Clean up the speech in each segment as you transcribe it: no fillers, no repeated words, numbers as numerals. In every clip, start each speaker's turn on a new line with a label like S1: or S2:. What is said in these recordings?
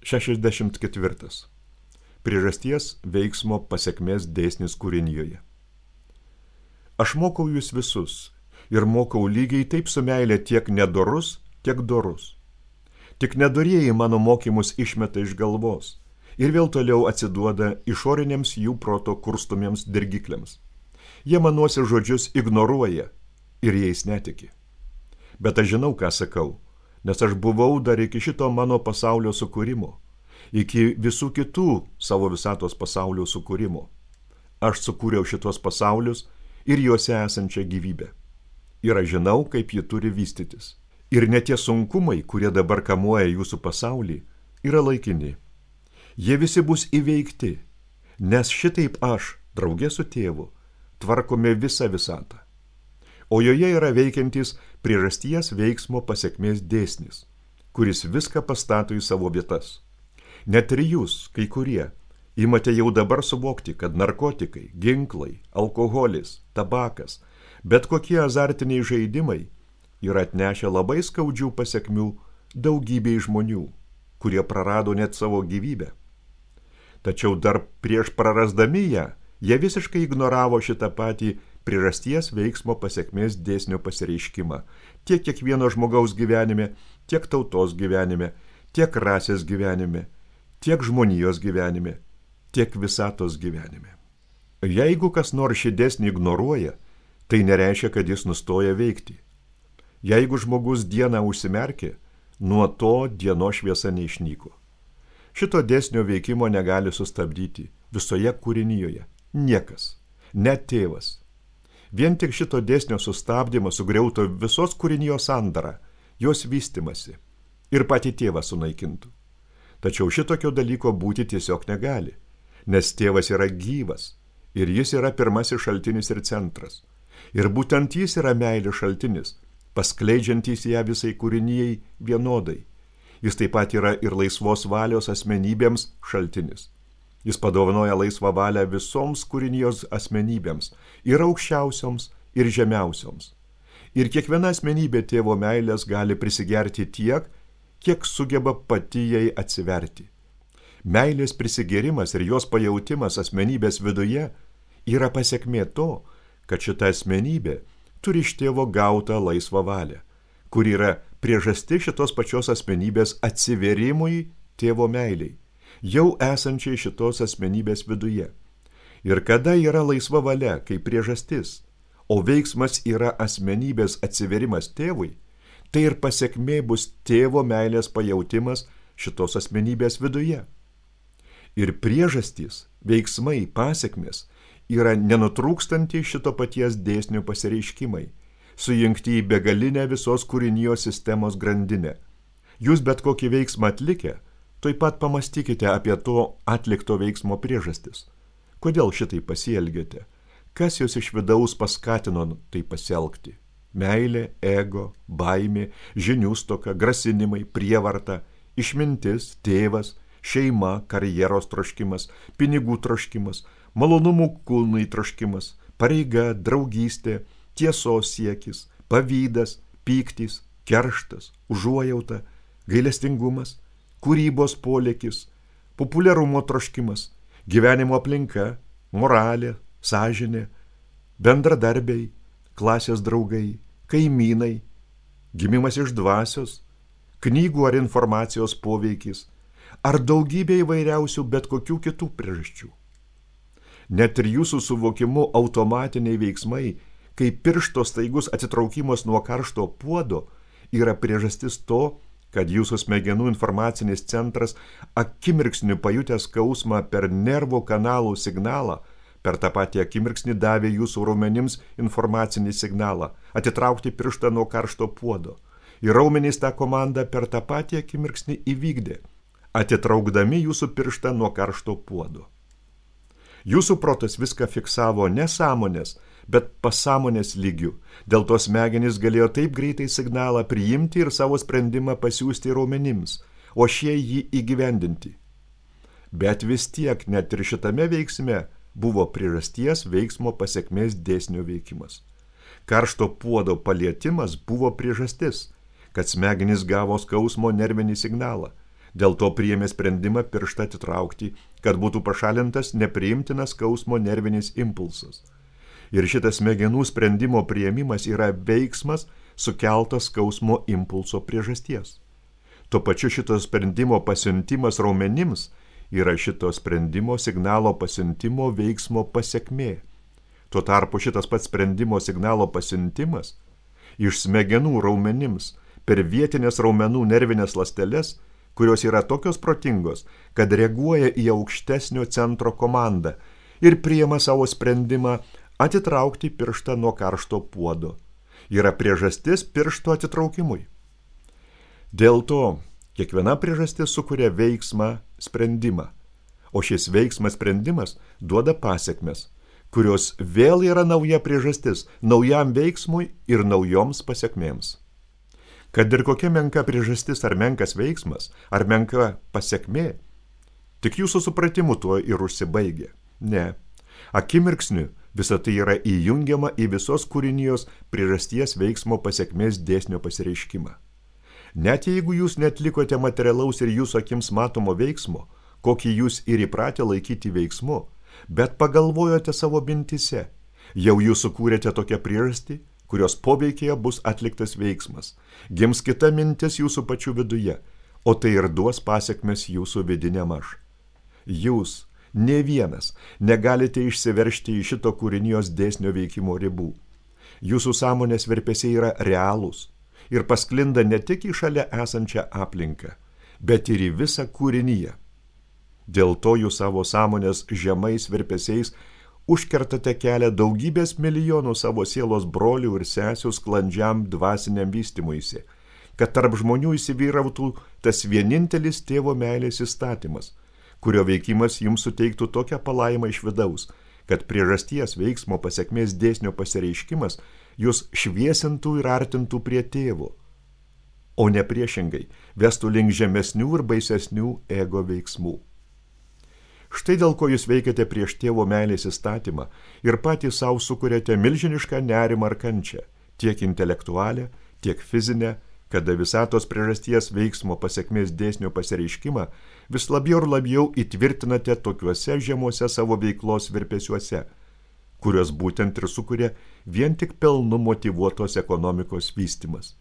S1: 64. Priežasties veiksmo pasekmės dėsnis kūrinijoje. Aš mokau jūs visus ir mokau lygiai taip su meilė tiek nedorus, tiek dorus. Tik nedorieji mano mokymus išmeta iš galvos ir vėl toliau atsiduoda išoriniams jų proto kurstumiems dirgikliams. Jie manuose žodžius ignoruoja ir jais netiki. Bet aš žinau, ką sakau, nes aš buvau dar iki šito mano pasaulio sukūrimo, iki visų kitų savo visatos pasaulio sukūrimo. Aš sukūriau šitos pasaulius ir juose esančią gyvybę. Ir aš žinau, kaip ji turi vystytis. Ir net tie sunkumai, kurie dabar kamuoja jūsų pasaulį, yra laikini. Jie visi bus įveikti, nes šitaip aš, draugė su tėvu, tvarkome visą visatą. O joje yra veikiantis priežasties veiksmo pasekmės dėsnis, kuris viską pastato į savo vietas. Net ir jūs, kai kurie, imate jau dabar suvokti, kad narkotikai, ginklai, alkoholis, tabakas, bet kokie azartiniai žaidimai yra atnešę labai skaudžių pasekmių daugybei žmonių, kurie prarado net savo gyvybę. Tačiau dar prieš prarasdami ją, jie visiškai ignoravo šitą patį priežasties veiksmo pasekmės dėsnio pasireiškimą tiek kiekvieno žmogaus gyvenime, tiek tautos gyvenime, tiek rasės gyvenime, tiek žmonijos gyvenime, tiek visatos gyvenime. Jeigu kas nors šį dėsnį ignoruoja, tai nereiškia, kad jis nustoja veikti. Jeigu žmogus dieną užsimerkė, nuo to dienos šviesa neišnyko. Šito dėsnio veikimo negali sustabdyti visoje kūrinijoje niekas, net tėvas. Vien tik šito dėsnio sustabdymas sugriautų visos kūrinijos sandarą, jos vystimasi ir patį tėvą sunaikintų. Tačiau šitokio dalyko būti tiesiog negali, nes tėvas yra gyvas ir jis yra pirmasis šaltinis ir centras. Ir būtent jis yra meilės šaltinis, paskleidžiantys ją visai kūrinijai vienodai. Jis taip pat yra ir laisvos valios asmenybėms šaltinis. Jis padovanoja laisvą valią visoms kūrinijos asmenybėms, ir aukščiausioms, ir žemiausioms. Ir kiekviena asmenybė tėvo meilės gali prisigerti tiek, kiek sugeba pati jai atsiverti. Meilės prisigerimas ir jos pajautimas asmenybės viduje yra pasekmė to, kad šita asmenybė turi iš tėvo gautą laisvą valią, kur yra priežastis šitos pačios asmenybės atsiverimui tėvo meiliai, jau esančiai šitos asmenybės viduje. Ir kada yra laisva valia kaip priežastis, o veiksmas yra asmenybės atsiverimas tėvui, tai ir pasekmė bus tėvo meilės pajautimas šitos asmenybės viduje. Ir priežastys, veiksmai, pasekmės yra nenutrūkstantys šito paties dėsnio pasireiškimai, sujungti į begalinę visos kūrinijos sistemos grandinę. Jūs bet kokį veiksmą atlikę, taip pat pamastykite apie to atlikto veiksmo priežastis. Kodėl šitai pasielgėte? Kas jūs iš vidaus paskatino tai pasielgti? Meilė, ego, baimė, žinių stoka, grasinimai, prievarta, išmintis, tėvas, šeima, karjeros troškimas, pinigų troškimas, malonumų kūnui troškimas, pareiga, draugystė, tiesos siekis, pavydas, pyktis, kerštas, užuojauta, gailestingumas, kūrybos polėkis, populiarumo troškimas, gyvenimo aplinka, moralė, sąžinė, bendradarbiai, klasės draugai, kaimynai, gimimas iš dvasios, knygų ar informacijos poveikis, ar daugybė įvairiausių bet kokių kitų priežasčių. Net ir jūsų suvokimu automatiniai veiksmai, kaip piršto staigus atsitraukimas nuo karšto puodo, yra priežastis to, kad jūsų smegenų informacinis centras akimirksniu pajutęs skausmą per nervų kanalų signalą, per tą patį akimirksnį davė jūsų raumenims informacinį signalą, atitraukti pirštą nuo karšto puodo. Ir raumenys tą komandą per tą patį akimirksnį įvykdė, atitraukdami jūsų pirštą nuo karšto puodo. Jūsų protas viską fiksavo ne sąmonės, bet pasąmonės lygių. Dėl to smegenys galėjo taip greitai signalą priimti ir savo sprendimą pasiųsti raumenims, o šie jį įgyvendinti. Bet vis tiek net ir šitame veiksme buvo priežasties veiksmo pasekmės dėsnio veikimas. Karšto puodo palietimas buvo priežastis, kad smegenys gavo skausmo nervinį signalą. Dėl to priėmė sprendimą pirštą atitraukti, kad būtų pašalintas nepriimtinas skausmo nervinis impulsas. Ir šitas smegenų sprendimo priėmimas yra veiksmas sukeltas skausmo impulso priežasties. Tuo pačiu šito sprendimo pasiuntimas raumenims yra šito sprendimo signalo pasiuntimo veiksmo pasekmė. Tuo tarpu šitas pats sprendimo signalo pasiuntimas iš smegenų raumenims per vietinės raumenų nervinės ląsteles, kurios yra tokios protingos, kad reaguoja į aukštesnio centro komandą ir priima savo sprendimą atitraukti pirštą nuo karšto puodo. Yra priežastis piršto atitraukimui. Dėl to kiekviena priežastis sukuria veiksmą sprendimą, o šis veiksmas sprendimas duoda pasekmes, kurios vėl yra nauja priežastis naujam veiksmui ir naujoms pasekmėms. Kad ir kokia menka priežastis ar menkas veiksmas, ar menka pasekmė, tik jūsų supratimu tuo ir užsibaigia. Ne, akimirksniu visa tai yra įjungiama į visos kūrinijos priežasties veiksmo pasekmės dėsnio pasireiškimą. Net jeigu jūs netlikote materialaus ir jūsų akims matomo veiksmo, kokį jūs ir įpratę laikyti veiksmu, bet pagalvojote savo mintise, jau jūs sukūrėte tokią priežastį, kurios poveikėje bus atliktas veiksmas, gims kita mintis jūsų pačių viduje, o tai ir duos pasekmes jūsų vidiniam aš. Jūs, ne vienas, negalite išsiveržti į šito kūrinijos dėsnio veikimo ribų. Jūsų sąmonės virpesiai yra realūs ir pasklinda ne tik į šalia esančią aplinką, bet ir į visą kūriniją. Dėl to jūs savo sąmonės žemais virpesiais užkertate kelią daugybės milijonų savo sielos brolių ir sesių sklandžiam dvasiniam vystymuisi, kad tarp žmonių įsivyrautų tas vienintelis tėvo meilės įstatymas, kurio veikimas jums suteiktų tokią palaimą iš vidaus, kad priežasties veiksmo pasekmės dėsnio pasireiškimas jūs šviesintų ir artintų prie tėvo, o ne priešingai vestų link žemesnių ir baisesnių ego veiksmų. Štai dėl ko jūs veikiate prieš tėvo meilės įstatymą ir patys savo sukuriate milžinišką nerimą ar kančią, tiek intelektualią, tiek fizinę, kada visatos priežasties veiksmo pasekmės dėsnio pasireiškimą vis labiau ir labiau įtvirtinate tokiuose žemuose savo veiklos virpesiuose, kurios būtent ir sukuria vien tik pelnu motyvuotos ekonomikos vystymas.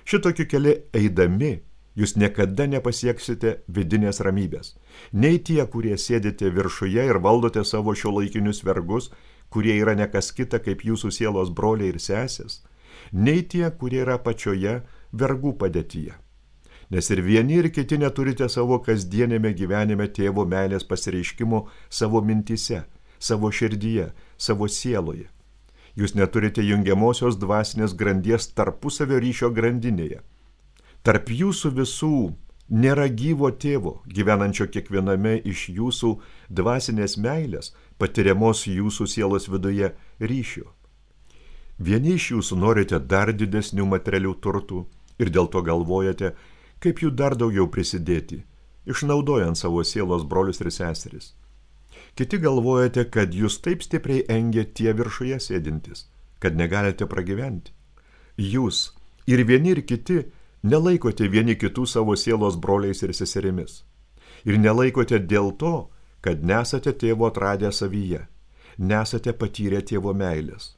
S1: Šitokiu keliu eidami, jūs niekada nepasieksite vidinės ramybės. Nei tie, kurie sėdite viršuje ir valdote savo šiuolaikinius vergus, kurie yra nekas kita kaip jūsų sielos broliai ir sesės, nei tie, kurie yra pačioje vergų padėtyje. Nes ir vieni ir kiti neturite savo kasdienėme gyvenime tėvo meilės pasireiškimo savo mintyse, savo širdyje, savo sieloje. Jūs neturite jungiamosios dvasinės grandies tarpusavio ryšio grandinėje. Tarp jūsų visų nėra gyvo tėvo, gyvenančio kiekviename iš jūsų dvasinės meilės, patiriamos jūsų sielos viduje ryšio. Vieni iš jūsų norite dar didesnių materialių turtų ir dėl to galvojate, kaip jų dar daugiau prisidėti, išnaudojant savo sielos brolius ir seseris. Kiti galvojate, kad jūs taip stipriai engia tie viršuje sėdintys, kad negalite pragyventi. Jūs ir vieni ir kiti nelaikote vieni kitų savo sielos broliais ir seserimis. Ir nelaikote dėl to, kad nesate tėvo atradę savyje, nesate patyrę tėvo meilės.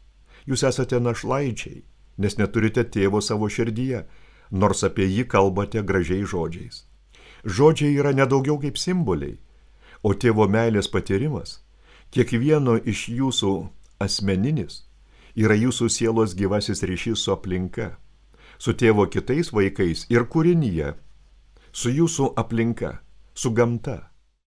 S1: Jūs esate našlaičiai, nes neturite tėvo savo širdyje, nors apie jį kalbate gražiai žodžiais. Žodžiai yra nedaugiau kaip simboliai, o tėvo meilės patyrimas, kiekvieno iš jūsų asmeninis, yra jūsų sielos gyvasis ryšys su aplinka, su tėvo kitais vaikais ir kūrinyje, su jūsų aplinka, su gamta.